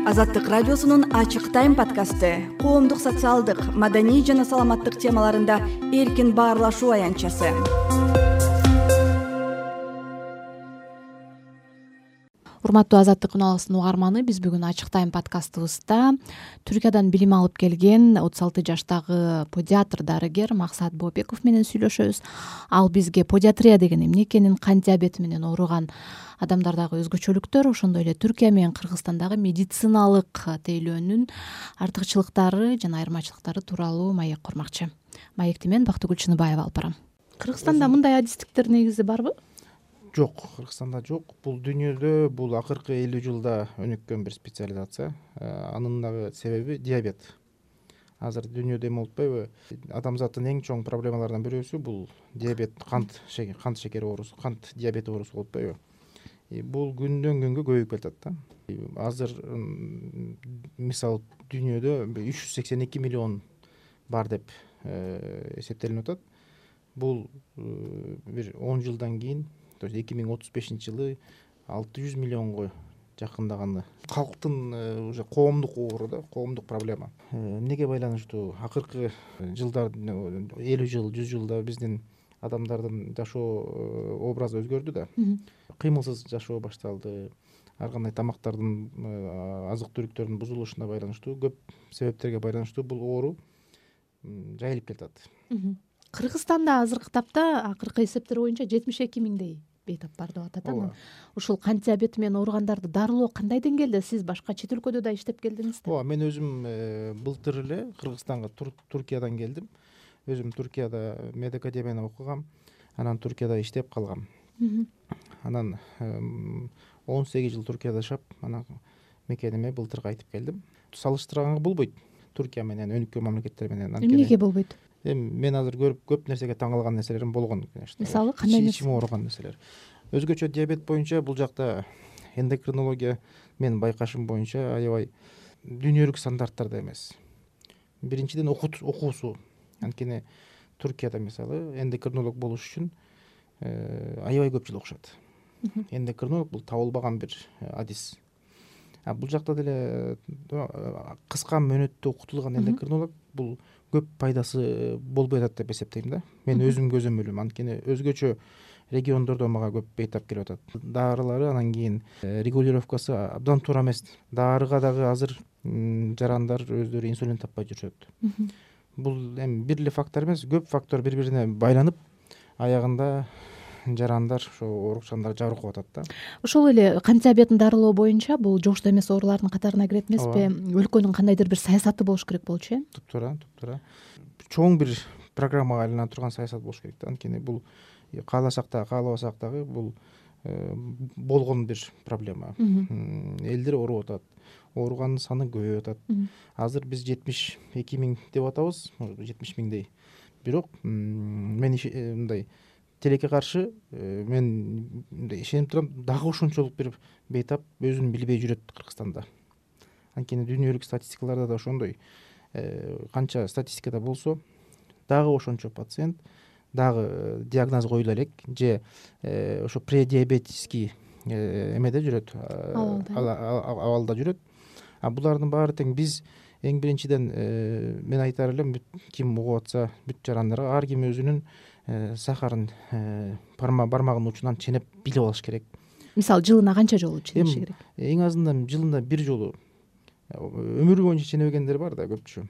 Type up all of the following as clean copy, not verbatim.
Азаттык радиосунун ачык тайм подкасты коомдук, социалдык, маданий жана саламаттык темаларында эркин баарлашуу аянтчасы. Урматтуу Азаттык каналынын угарманы, биз бүгүн ачык тайм подкастыбызда Түркиядан билим алып келген 36 жаштагы педиатр дарыгер Максат Боопеков менен сүйлөшөбүз. Ал бизге педиатрия деген эмне экенин, кант диабети менен ооруган адамдардагы өзгөчөлүктөр, ошондой эле Түркия менен Кыргызстандагы медициналык тейлөөнүн артыкчылыктары жана айырмачылыктары тууралуу маек курмакчы. Маекти мен Бактыгүл Чыныбаева алып барам. Кыргызстанда мындай адистиктер негизи барбы? Жок, Кыргызстанда жок. Бул дүйнөдө бул акыркы 50 жылда өнүккөн бир специализация. Анын дагы себеби диабет. Азыр дүйнөдө эме болуп атпайбы? Адамзаттын эң чоң проблемаларынан бирөөсү бул диабет, кант шекери оорусу, кант диабети оорусу болуп атпайбы? Бул күндөн күнгө көбөйүп келатат да. Азыр мисалы дүйнөдө 382 миллион бар деп эсептелип атат. Бул бир 10 жылдан кийин, то есть 2035 жылы 600 миллионго жакындаганы. Калктын уже коомдук оору да, коомдук проблема. Эмнеге байланыштуу? Акыркы жылдардын 50 жыл, 100 жылда биздин адамдардын жашоо образы өзгөрдү да. Кыймылсыз жашоо башталды. Ар кандай тамактардын, азык-түлүктөрдүн бузулушуна байланыштуу, көп себептерге байланыштуу бул оору жайылып кетет. Кыргызстанда азыркы тапта акыркы эсептер боюнча 72 миңдей бейтап бар деп атат. Анан ушул кант диабети менен ооругандарды дарылоо кандай деңгээлде? Сиз башка чет өлкөдө да иштеп келдиңиз да? Ооба, мен өзүм былтыр эле Кыргызстанга Туркиядан келдим. Өзүм Туркияда медакадемияны окугам. Анан Туркияда иштеп калгам. Анан 18 жыл Туркияда жашап, анан мекениме былтыр кайтып келдим. Салыштырганга болбойт Туркия менен өнүккөн мамлекеттер менен. Эмнеге болбойт? Мен азыр көрүп көп нерсеге таң калган нерселерим болгон. Мисалы кандай нерсе? Ичиме ооруган нерселер. Өзгөчө диабет боюнча бул жакта эндокринология менин байкашым боюнча аябай дүйнөлүк стандарттарда эмес. Биринчиден окуусу. Анткени Туркияда мисалы эндокринолог болуш үчүн аябай көп жыл окушат. Эндокринолог бул табылбаган бир адис. Бул жакта деле кыска мөөнөттө окутулган эндокринолог бул көп пайдасы болбой атат деп эсептейм да. Мен өзүм көзөмөлүм. Анткени өзгөчө региондордо мага көп бейтап келип атат. Дарылары анан кийин регулировкасы абдан туура эмес. Дарыга дагы азыр жарандар өздөрү инсулин таппай жүрүшөт. Бул эми бир эле фактор эмес, көп фактор бири-бирине байланып, аягында жарандар, ошо оорукчандар жабыркап атат да. Ошол эле кант диабетин дарылоо боюнча бул жогуштуу эмес оорулардын катарына кирет эмеспи? Өлкөнүн кандайдыр бир саясаты болуш керек болчу, э? Туптуура. Чоң бир программага айлана турган саясат болуш керек да. Анткени бул кааласак да, каалабасак дагы бул болгон бир проблема. Элдер ооруп атат. Ооругандын саны көбөйүп атат. Азыр биз 72 миң деп атабыз, 70 миңдей. Бирок мен мындай тилекке каршы мен ишенип турам, дагы ошончолук бир бейтап өзүн билбей жүрөт Кыргызстанда. Анткени дүйнөлүк статистикаларда да ошондой. Канча статистикада болсо, дагы ошончо пациент дагы диагноз коюла элек, же ошо предиабетический эмеде жүрөт, абалда жүрөт. Булардын баары тең биз эң биринчиден мен айтар элем, ким угуп атса бүт жарандарга ар ким өзүнүн сахарын бармагынын учунан ченеп билип алыш керек. Мисалы жылына канча жолу ченеш керек? Эң азынан жылына бир жолу. Өмүрү боюнча ченебегендер бар да көпчү.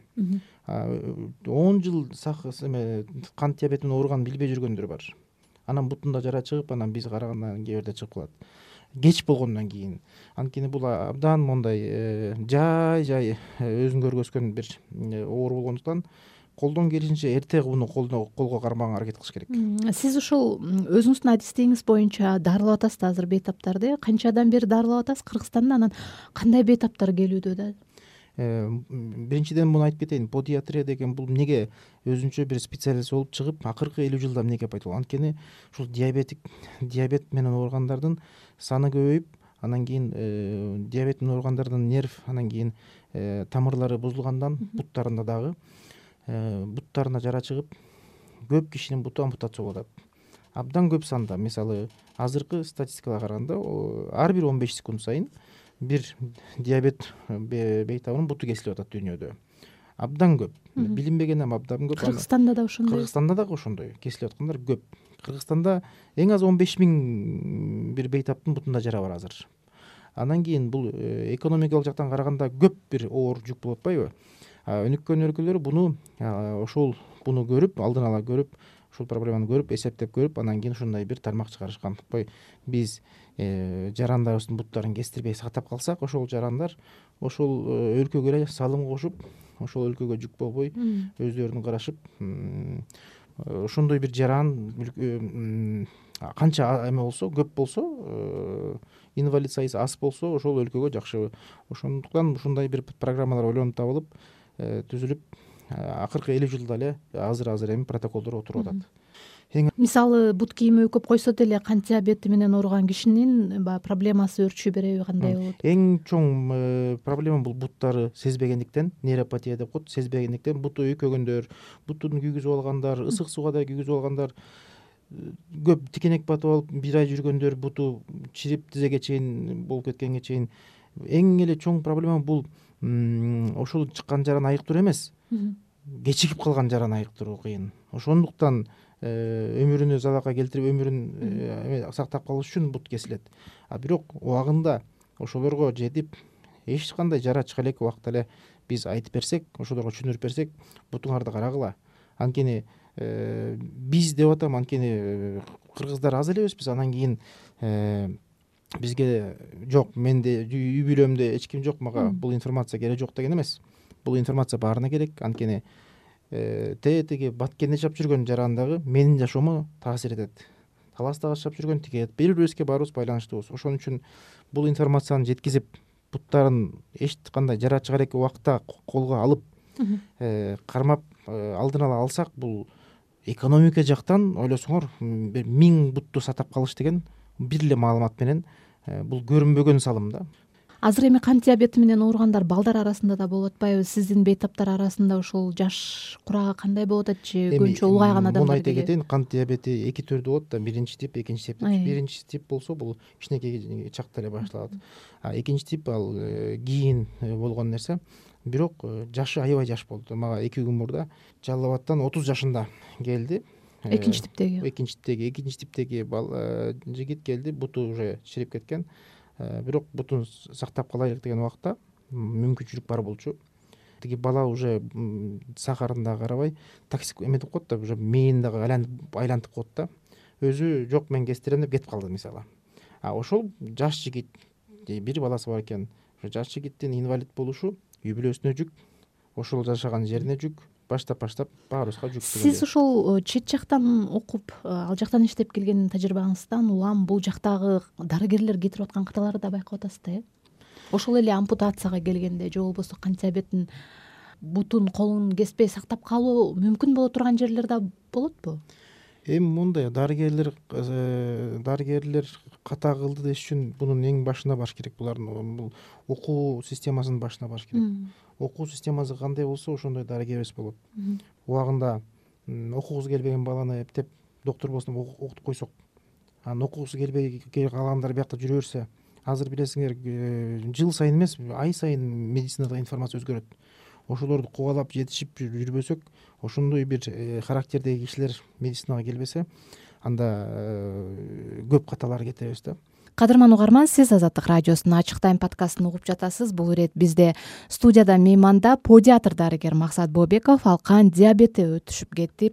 10 жыл кант диабети менен ооруганын билбей жүргөндөр бар. Анан бутунда жара чыгып, анан биз карагандан кээ бирде чыгып калат. Кеч болгондон кийин. Анткени бул абдан мондай жай өзүн көргөзгөн бир оору болгондуктан колдон келишинче эрте буну колго кармаганга аракет кылыш керек. Сиз ушул өзүңүздүн адистигиңиз боюнча дарылап атасыз да азыр бейтаптарды? Канчадан бери дарылап атасыз Кыргызстанда? Анан кандай бейтаптар келүүдө да? Биринчиден муну айтып кетейин. Педиатрия деген бул эмнеге өзүнчө бир специализация болуп чыгып, акыркы 50 жылда эмнеге пайда болгон? Анткени ушул диабет менен ооругандардын саны көбөйүп, анан кийин диабет менен ооругандардын нерв, анан кийин тамырлары бузулгандан буттарында дагы буттарына жара чыгып, көп кишинин буту ампутация болуп атат. Абдан көп санда, мисалы азыркы статистикага караганда ар бир 15 секунд сайын бир диабет бейтабынын буту кесилип атат дүйнөдө. Абдан көп. Билинбеген абдан көп. Кыргызстанда да ошондой. Кыргызстанда дагы ошондой кесилип аткандар көп. Кыргызстанда эң аз 15 000 бир бейтаптын бутунда жара бар азыр. Анан кийин бул экономикалык жактан караганда көп бир оор жүк болуп атпайбы? Өнүккөн өлкөлөр буну көрүп, алдын ала көрүп, ушул проблеманы көрүп, эсептеп көрүп, анан кийин ушундай бир тармак чыгарышкан. Биз жарандарыбыздын буттарын кестирбей сактап калсак, ошол жарандар ошол өлкөгө эле салым кошуп, ошол өлкөгө жүк болбой өздөрүн карашып, ошондой бир жаран канча эме болсо, көп болсо, инвалид сайысы аз болсо, ошол өлкөгө жакшы. Ошондуктан ушундай бир программалар ойлонуп табылып, түзүлүп, акыркы 50 жылда эле азыр эми протоколдор отуруп атат. Мисалы, бут кийими өкөп койсо деле кант диабети менен ооруган кишинин проблемасы өрчү береби, кандай болот? Эң чоң проблема бул буттары сезбегендиктен, нейропатия деп коет, сезбегендиктен буту өйкөгөндөр, бутун күйгүзүп алгандар, ысык сууга да күйгүзүп алгандар, көп тикенек батып алып бир ай жүргөндөр, буту чирип тизеге чейин болуп кеткенге чейин. Эң эле чоң проблема бул ошол чыккан жараны айыктыруу эмес, кечигип калган жараны айыктыруу кыйын. Ошондуктан өмүрүнө залалга келтирип, өмүрүн сактап калыш үчүн бут кесилет. Бирок убагында ошолорго жетип, эч кандай жара чыга элек убакта эле биз айтып берсек, ошолорго түшүндүрүп берсек, бутуңарды карагыла. Анткени биз деп атам, анткени кыргыздар аз элебизбиз. Анан кийин бизге жок, менде үй бүлөмдө эч ким жок, мага бул информация керек жок деген эмес. Бул информация баарына керек. Анткени тетиги Баткенде жашап жүргөн жаран дагы менин жашоомо таасир этет. Таластагы жашап жүргөн тиге бири бирибизге баарыбыз байланыштуубуз. Ошон үчүн бул информацияны жеткизип, буттарын эч кандай жара чыга элек убакта колго алып, кармап алдын ала алсак, бул экономика жактан ойлосоңор, 1000 бутту сатап калыш деген бир эле маалымат менен бул көрүнбөгөн салым да. Азыр эми кант диабети менен ооругандар балдар арасында да болуп атпайбы? Сиздин бейтаптар арасында ошол жаш курагы кандай болуп атат же көбүнчө улгайган адамдар? Муну айта кетейин, кант диабети эки түрдүү болот да, биринчи тип, экинчи тип. Биринчи тип болсо бул кичинекей чакта эле башталат. Экинчи тип ал кийин болгон нерсе. Бирок жашы аябай жаш болду. Мага 2 күн мурда Жалал Абадтан 30 жашында келди. Экинчи типтеги экинчи типтеги жигит келди, буту уже чирип кеткен. Бирок бутун сактап калайлык деген убакта мүмкүнчүлүк бар болчу. Тиги бала уже сахарын да карабай, токсик эметип коет да, уже мээни дагы айлантып коет да. Өзү жок, мен кестирем деп кетип калды мисалы. Ошол жаш жигит, бир баласы бар экен. Ошо жаш жигиттин инвалид болушу үй бүлөсүнө жүк, ошол жашаган жерине жүк, баштап баарыбызга жүк. Сиз ошол чет жактан окуп, ал жактан иштеп келген тажрыйбаңыздан улам бул жактагы дарыгерлер кетирип аткан каталарды да байкап атасыз да, Ошол эле ампутацияга келгенде же болбосо кант диабетин бутун, колун кеспей сактап калуу мүмкүн боло турган жерлер да болотпу? Эми мындай, дарыгерлер ката кылды деш үчүн бунун эң башына баш керек. Булардын бул окуу системасынын башына баш керек. Окуу системасы кандай болсо, ошондой дарыгерибиз болот. Убагында окугусу келбеген баланы эптеп доктор болсун деп окутуп койсок, анан окугусу келбей калгандар биякта жүрө берсе, азыр билесиңер, жыл сайын эмес, ай сайын медицинада информация өзгөрөт. Ошолорду кубалап жетишип жүрбөсөк, ошондой бир характердеги кишилер медицинага келбесе, анда көп каталар кетебиз да. Кадырман угарман, сиз Азаттык радиосунун Ачык тайм подкастын угуп жатасыз. Бул ирет бизде студияда мейманда педиатр дарыгер Максат Бообеков. Ал кант диабети өтүшүп кетти,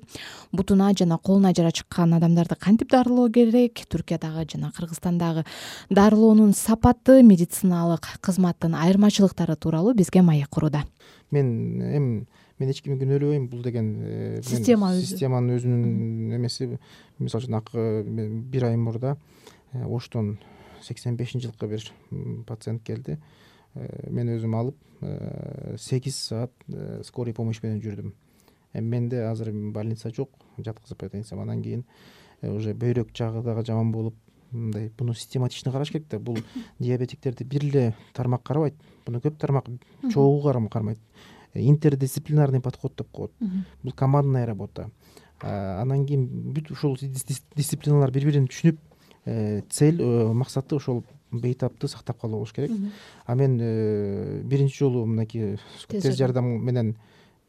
бутуна жана колуна жара чыккан адамдарды кантип дарылоо керек, Түркиядагы жана Кыргызстандагы дарылоонун сапаты, медициналык кызматтын айырмачылыктары тууралуу бизге маек курууда. Мен эч кимди күнөөлөбөйм, бул деген системанын өзүнүн эмеси. Мисалы үчүн бир ай мурда Оштон 85-жылкы бир пациент келди. Мен өзүм алып 8 саат скорый помощь менен жүрдүм. Менде азыр больница жок, жаткызып айтайынсам. Анан кийин уже бөйрөк жагы дагы жаман болуп, мындай буну систематичный караш керек да. Бул диабетиктерди бир эле тармак карабайт. Буну көп тармак чогуу кармайт. Интердисциплинарный подход деп коет. Бул командная работа. Анан кийин бүт ушул дисциплиналар бири-бирин түшүнүп, цель, максаты ошол бейтапты сактап калуу болуш керек. А мен биринчи жолу мынакей тез жардам менен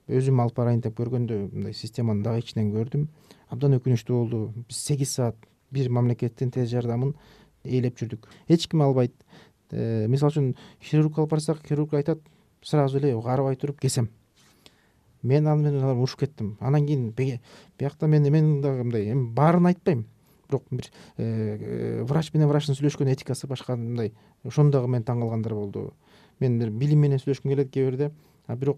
өзүм алып барайын деп көргөндө мындай системаны дагы ичинен көрдүм. Абдан өкүнүчтүү болду. Биз 8 саат бир мамлекеттин тез жардамын ээлеп жүрдүк. Эч ким албайт. Мисалы үчүн хирург алып барсак, хирург айтат сразу эле карабай туруп кесем. Мен ал менен урушуп кеттим. Анан кийин биякта мен дагы мындай эми баарын айтпайм. Бирок бир врач менен врачтын сүйлөшкөн этикасы башка мындай. Ошону дагы мен таң калгандар болду. Мен бир билим менен сүйлөшкүм келет кээ бирде. Бирок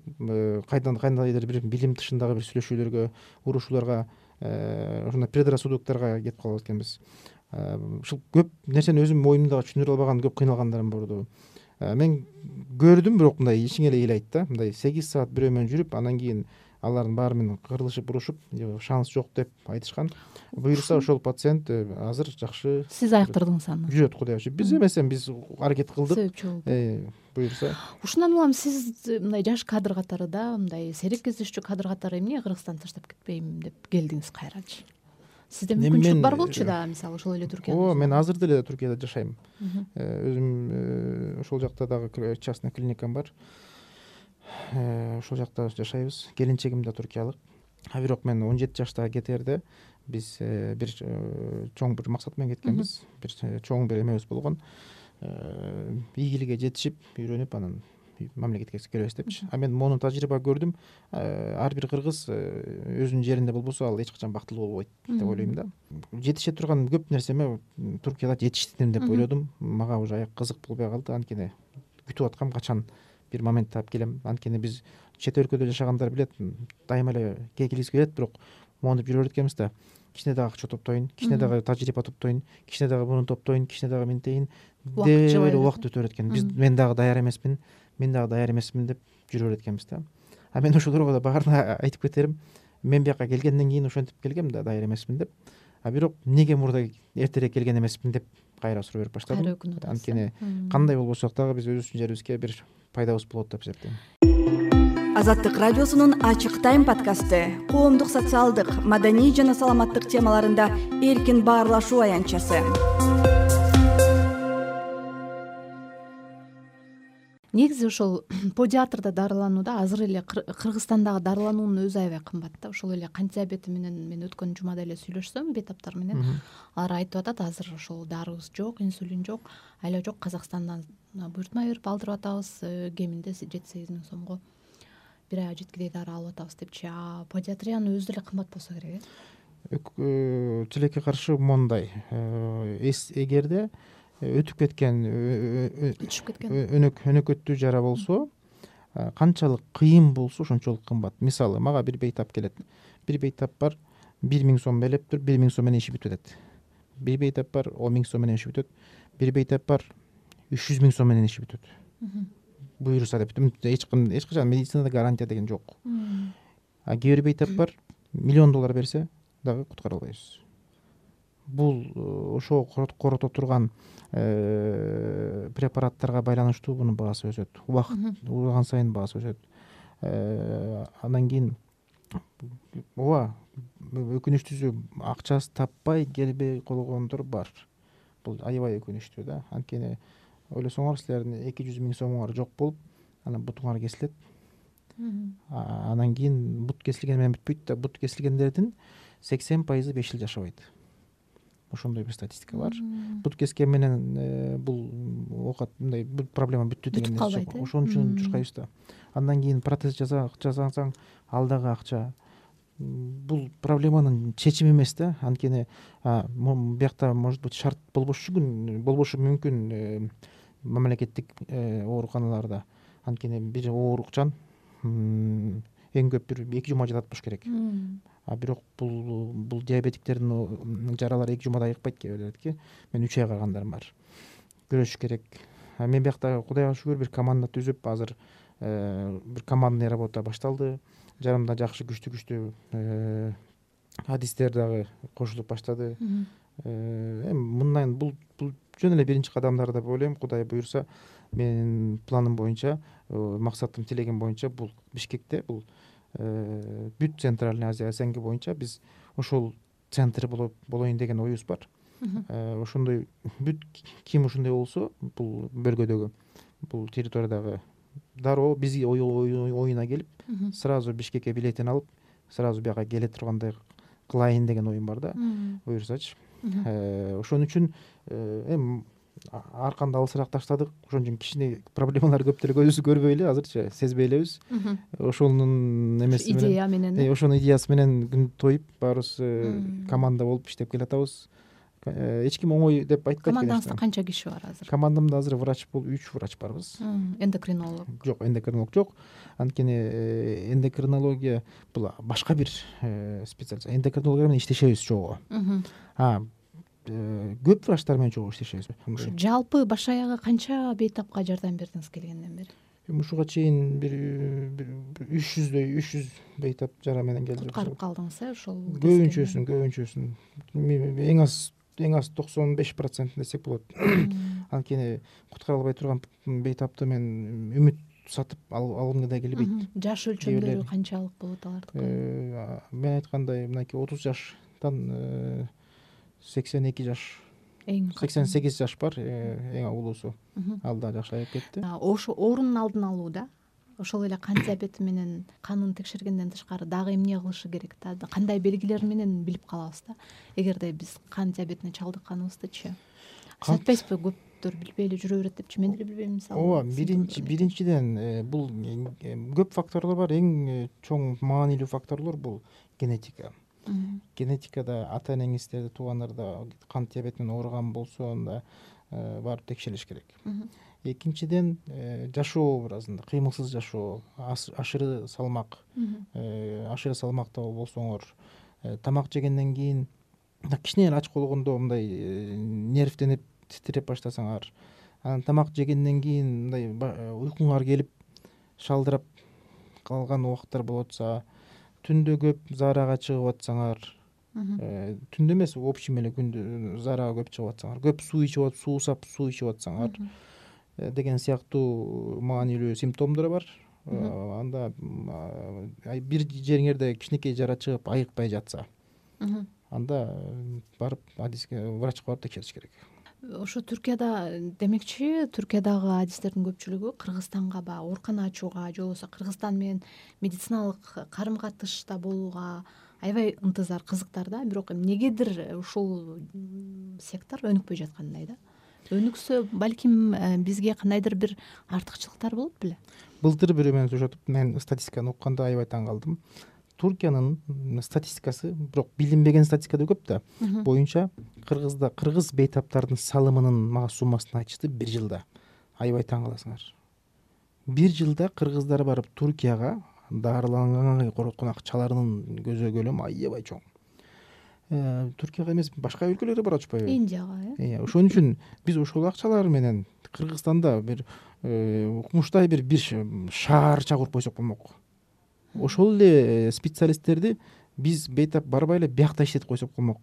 кайдандыр бир билим тышындагы бир сүйлөшүүлөргө, урушууларга, ошондой предрассудокторго кетип калат экенбиз. Ушул көп нерсени өзүм моюнумда түшүндүрө албаган көп кыйналгандарым болду. Мен көрдүм, бирок мындай ичиңе эле ыйлайт да. Мындай 8 саат бирөө менен жүрүп, анан кийин алардын баары менен кырылышып, урушуп, шанс жок деп айтышкан. Буюрса ошол пациент азыр жакшы. Сиз айыктырдыңыз аны. Жүрөт, Кудайга шүгүр. Биз эмесем биз аракет кылдык. Себепчи болдук. Буюрса. Ушундан улам сиз мындай жаш кадр катары да, мындай серик кездешчү кадр катары эмне Кыргызстанды таштап кетпейм деп келдиңиз кайрачы? Сизде мүмкүнчүлүк бар болчу да, мисалы ошол эле Түркияда. Мен азыр деле Түркияда жашайм. Өзүм ошол жакта дагы частный клиникам бар. Ошол жакта жашайбыз. Келинчегим да туркиялык. Бирок мен 17 жашта кетерде биз бир чоң бир максат менен кеткенбиз. Бир чоң бир эмебиз болгон. Ийгиликке жетишип, үйрөнүп, анан мамлекетке келебиз депчи. Мен мону тажрыйба көрдүм. Ар бир кыргыз өзүнүн жеринде болбосо ал эч качан бактылуу болбойт деп ойлойм да. Жетише турган көп нерсеме Туркияда жетиштим деп ойлодум. Мага уже аяк кызык болбой калды. Анткени күтүп аткам качан бир момент таап келем. Анткени биз чет өлкөдө жашагандар билет, дайыма эле келгибиз келет, бирок монтип жүрө берет экенбиз да. Кичине дагы акча топтойн, кичине дагы тажрыйба топтойн, кичине дагы муну топтойн, кичине дагы минтейин деп эле убакыт өтө берет экен. Мен дагы даяр эмесмин, деп жүрө берет экенбиз да. Мен ошолорго да баарына айтып кетерим. Мен бияка келгенден кийин ошентип келгем да, даяр эмесмин деп. Бирок эмнеге мурда эртерээк келген эмесмин деп кайра суроо берип баштадым. Анткени кандай болбосок дагы биз өзүбүздүн жерибизге бир пайдабыз болот деп эсептейм. Азаттык радиосунун Ачык тайм подкасты коомдук, социалдык, маданий жана саламаттык темаларында эркин баарлашуу аянтчасы. Негизи ошол педиатрда дарыланууда азыр эле Кыргызстандагы дарылануунун өзү аябай кымбат да. Ошол эле кант диабети менен мен өткөн жумада эле сүйлөшсөм бейтаптар менен, алар айтып атат, азыр ошол дарыбыз жок, инсулин жок, айла жок, Казакстандан буйртма берип алдырып атабыз, кеминде 7-8 миң сомго бир айга жеткидей дары алып атабыз депчи. Педиатриянын өзү деле кымбат болсо керек Тилекке каршы мондай, эгерде өтүп кеткен өнөкөттүү жара болсо, канчалык кыйын болсо ошончолук кымбат. Мисалы, мага бир бейтап келет. Бир бейтап бар 1 000 сом белептир, 1 000 сом менен иши бүтүп атат. Бир бейтап бар 10 000 сом менен иши бүтөт. Бир бейтап бар 300 000 сом менен иши бүтөт. Буйруса деп эч качан медицинада гарантия деген жок. Кээ бир бейтап бар $1 миллион берсе дагы куткара албайбыз. Бул ошо корото турган препараттарга байланыштуу мунун баасы өсөт. Убакыт урган сайын баасы өсөт. Андан кийин өкүнүчтүүсү акчасы таппай келбей койгондор бар. Бул аябай өкүнүчтүү да. Анткени ойлосоңор, силердин 200 000 сомуңар жок болуп, анан бутуңар кесилет. Анан кийин бут кесилген менен бүтпөйт да. Бут кесилгендердин 80% 5 жыл жашабайт. Ошондой бир статистика бар. Бут кескен менен бул мындай бул проблема бүттү деген нерсе жок. Ошон үчүн журкайбыз да. Андан кийин протез жасасаң, ал дагы акча. Бул проблеманын чечими эмес да. Анткени биякта может быть шарт болбошу мүмкүн мамлекеттик ооруканаларда. Анткени бир оорукчан эң көп бир 2 жума жатат болуш керек. Бирок бул диабетиктердин жаралары 2 жумада айыкпайт кебелерки. Мен 3 айга карагандарым бар. Көрүшүш керек. Мен биякта Кудайга шүгүр бир команда түзүп, азыр бир командный работа башталды. Жарымда жакшы күчтүү адистер дагы кошулуп баштады. Мындан бул жөн эле биринчи кадамдар деп ойлойм. Кудай буйрса, менин планым боюнча, максатым, тилегим боюнча бул Бишкекте, бул бүт Центральный Азия СНГ боюнча биз ошол центр болоюн деген оюбуз бар. ошондой бүт ким ушундай болсо бул бөлгөдөгү, бул территориядагы дароо бизге оюна келип сразу Бишкекке билетин алып сразу бияка келе тургандай кылайын деген оюм бар да, буюрсачы. Ошон үчүн эми арканды алысыраак таштадык, ошон үчүн кичине проблемалар көп деле көзүбүз көрбөй эле азырчы сезбей элебиз. Ошонун эмеси менен, идея менен, ошонун идеясы менен күн тоюп баарыбыз команда болуп иштеп келатабыз. Эч ким оңой деп айтпайт. Командаңызда канча киши бар азыр? Командамда азыр врач бул 3 врач барбыз. Эндокринолог жок, эндокринолог жок. Анткени эндокринология бул башка бир специалист. Эндокринология менен иштешебиз чогуу. Көп врачтар менен чогуу иштешебиз. Ушу жалпы баш аягы канча бейтапка жардам бердиңиз келгенден бери? Ушуга чейин бир 300 бейтап жара менен келди. Куткарып калдыңыз ошол? Көбүнчөсүн. Эң аз 95% десек болот. Анткени куткара албай турган бейтапты мен үмүт сатып алгым да келбейт. Жаш өлчөмдөрү канчалык болот алардыкы? Мен айткандай мынакей 30 жаштан 82 жаш, 88 жаш бар, эң улуусу. Ал да жакшы айып кетти. Ошо оорунун алдын алууда ошол эле кан диабети менен канын текшергенден тышкары дагы эмне кылышы керек да? Кандай белгилер менен билип калабыз да? Эгерде биз кан диабетине чалдыкканыбыздычы? Айтпайсызбы, көптөр билбей эле жүрө берет депчи? Мен деле билбейм мисалы. Ооба, биринчиден бул көп факторлор бар. Эң чоң маанилүү факторлор бул генетика. Генетикада ата энеңизде, туугандарда кан диабет менен ооруган болсо, анда барып текшериш керек. Экинчиден жашоо образында, кыймылсыз жашоо, ашыры салмакта болсоңор, тамак жегенден кийин кичине эле ач болгондо мындай нервденип титиреп баштасаңар, анан тамак жегенден кийин мындай уйкуңар келип шалдырап калган убакыттар болуп атса, түндө көп заарага чыгып атсаңар, түндө эмес, общем эле күндө заарага көп чыгып атсаңар, көп суу ичип атсаңар деген сыяктуу маанилүү симптомдор бар. Анда бир жериңерде кичинекей жара чыгып айыкпай жатса, анда барып врачка барып текшериш керек. Ошо Түркияда, демекчи, Түркиядагы адистердин көпчүлүгү Кыргызстанга баягы оорукана ачууга же болбосо Кыргызстан менен медициналык карым-катышта болууга аябай ынтызар, кызыктар да. Бирок эмнегедир ушул сектор өнүкпөй жаткандай да. Өнүксө, балким бизге кандайдыр бир артыкчылыктар болот беле? Былтыр бирөө менен сүйлөшүп, мен статистиканы укканда аябай таң калдым. Туркиянын статистикасы, бирок билинбеген статистика да көп да, боюнча кыргыз бейтаптардын салымынын мага суммасын айтышты бир жылда. Аябай таң каласыңар. Бир жылда кыргыздар барып Туркияга дарыланганга короткон акчаларынын көзө көлөмү аябай чоң. Туркияга эмес, башка өлкөлөргө барып атышпайбы? Индияга, Ошон үчүн биз ошол акчалар менен Кыргызстанда бир укмуштай бир шаарча куруп койсок болмок. Ошол эле специалисттерди биз бейтап барбай эле биякта иштетип койсок болмок.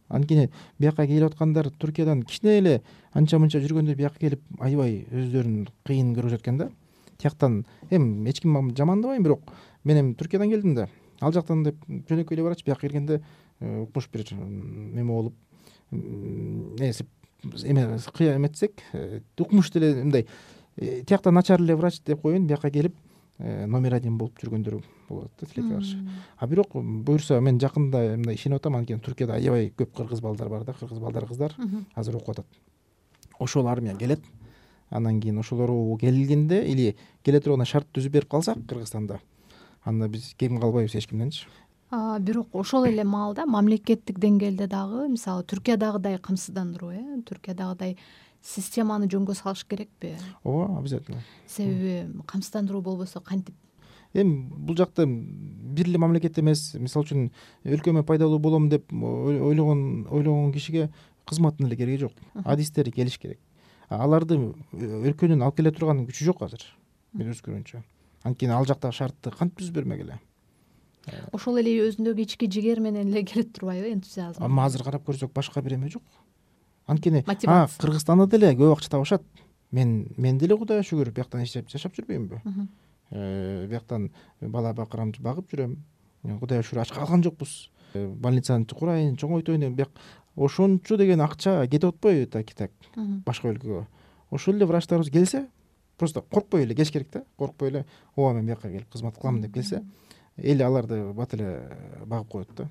Анткени бияка келип аткандар Туркиядан кичине эле анча-мынча жүргөндө бияка келип аябай өздөрүн кыйын көрүп жаткан да. Тияктан эми эч ким жамандабайм, бирок мен эми Туркиядан келдим да. Ал жактан деп жөнөкөй эле барачы, бияка келгенде укмуш бир эме болуп, эметсек, укмуш деле мындай тиякта начар эле врач деп коеюн, бияка келип номер 1 болуп жүргөндөр болот да, тилекке каршы. Бирок буюрса мен жакында мындай ишенип атам, анткени Туркияда аябай көп кыргыз балдар бар да, кыргыз балдар, кыздар азыр окуп атат. Ошол армия келет. Андан кийин ошолор келгенде или келе турган шарт түзүп берип калсак Кыргызстанда, анда биз кем калбайбыз эч кимденчи. Бирок ошол эле маалда мамлекеттик деңгээлде дагы, мисалы Түркиядагыдай камсыздандыруу, Түркиядагыдай системаны жөнгө салыш керекпи? Ооба, обязательно. Себеби камсыздандыруу болбосо кантип? Эми бул жакта бир эле мамлекет эмес, мисалы үчүн өлкөмө пайдалуу болом деп ойлогон кишиге кызматтын эле кереги жок. Адистери келиш керек. Аларды өлкөнүн алып келе турган күчү жок азыр, мен өз көрүнчө. Анткени ал жактагы шартты кантип түзүп бермегиле? Ошол эле өзүндөгү ички жигер менен эле келип турбайбы, энтузиазм? Ама азыр карап көрсөк башка бир эме жок. Анткени Кыргызстанда деле көп акча табышат. Мен деле Кудайга шүгүр бияктан иштеп жашап жүрбөймүнбү? Бияктан бала багып жүрөм. Кудайга шүгүр ач калган жокпуз. Больницаны курайын, чоңойтойн деп ошончо деген акча кетип атпайбы таки так башка өлкөгө. Ошол эле врачтарыбыз келсе, просто коркпой эле кеш керек да, коркпой эле ооба мен бияка келип кызмат кылам деп келсе, эл аларды бат эле багып коет да.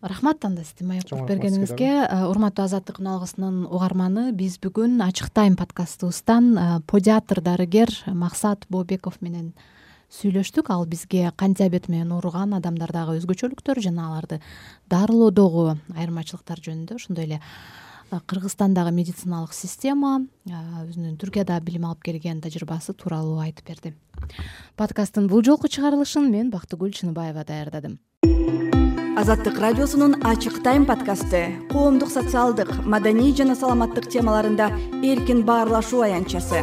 Рахмат анда сизди маектеп бергениңизге. Урматтуу Азаттык үн алгысынын угарманы, биз бүгүн Ачык тайм подкастыбыздан педиатр дарыгер Максат Бообеков менен сүйлөштүк. Ал бизге кант диабети менен ооруган адамдардагы өзгөчөлүктөр жана аларды дарылоодогу айырмачылыктар жөнүндө, ошондой эле Кыргызстандагы медициналык система, өзүнүн Түркияда билим алып келген тажрыйбасы тууралуу айтып берди. Подкасттын бул жолку чыгарылышын мен Бактыгүл Чыныбаева даярдадым. Азаттык радиосунун Ачык тайм подкасты коомдук, социалдык, маданий жана саламаттык темаларында эркин баарлашуу аянтчасы.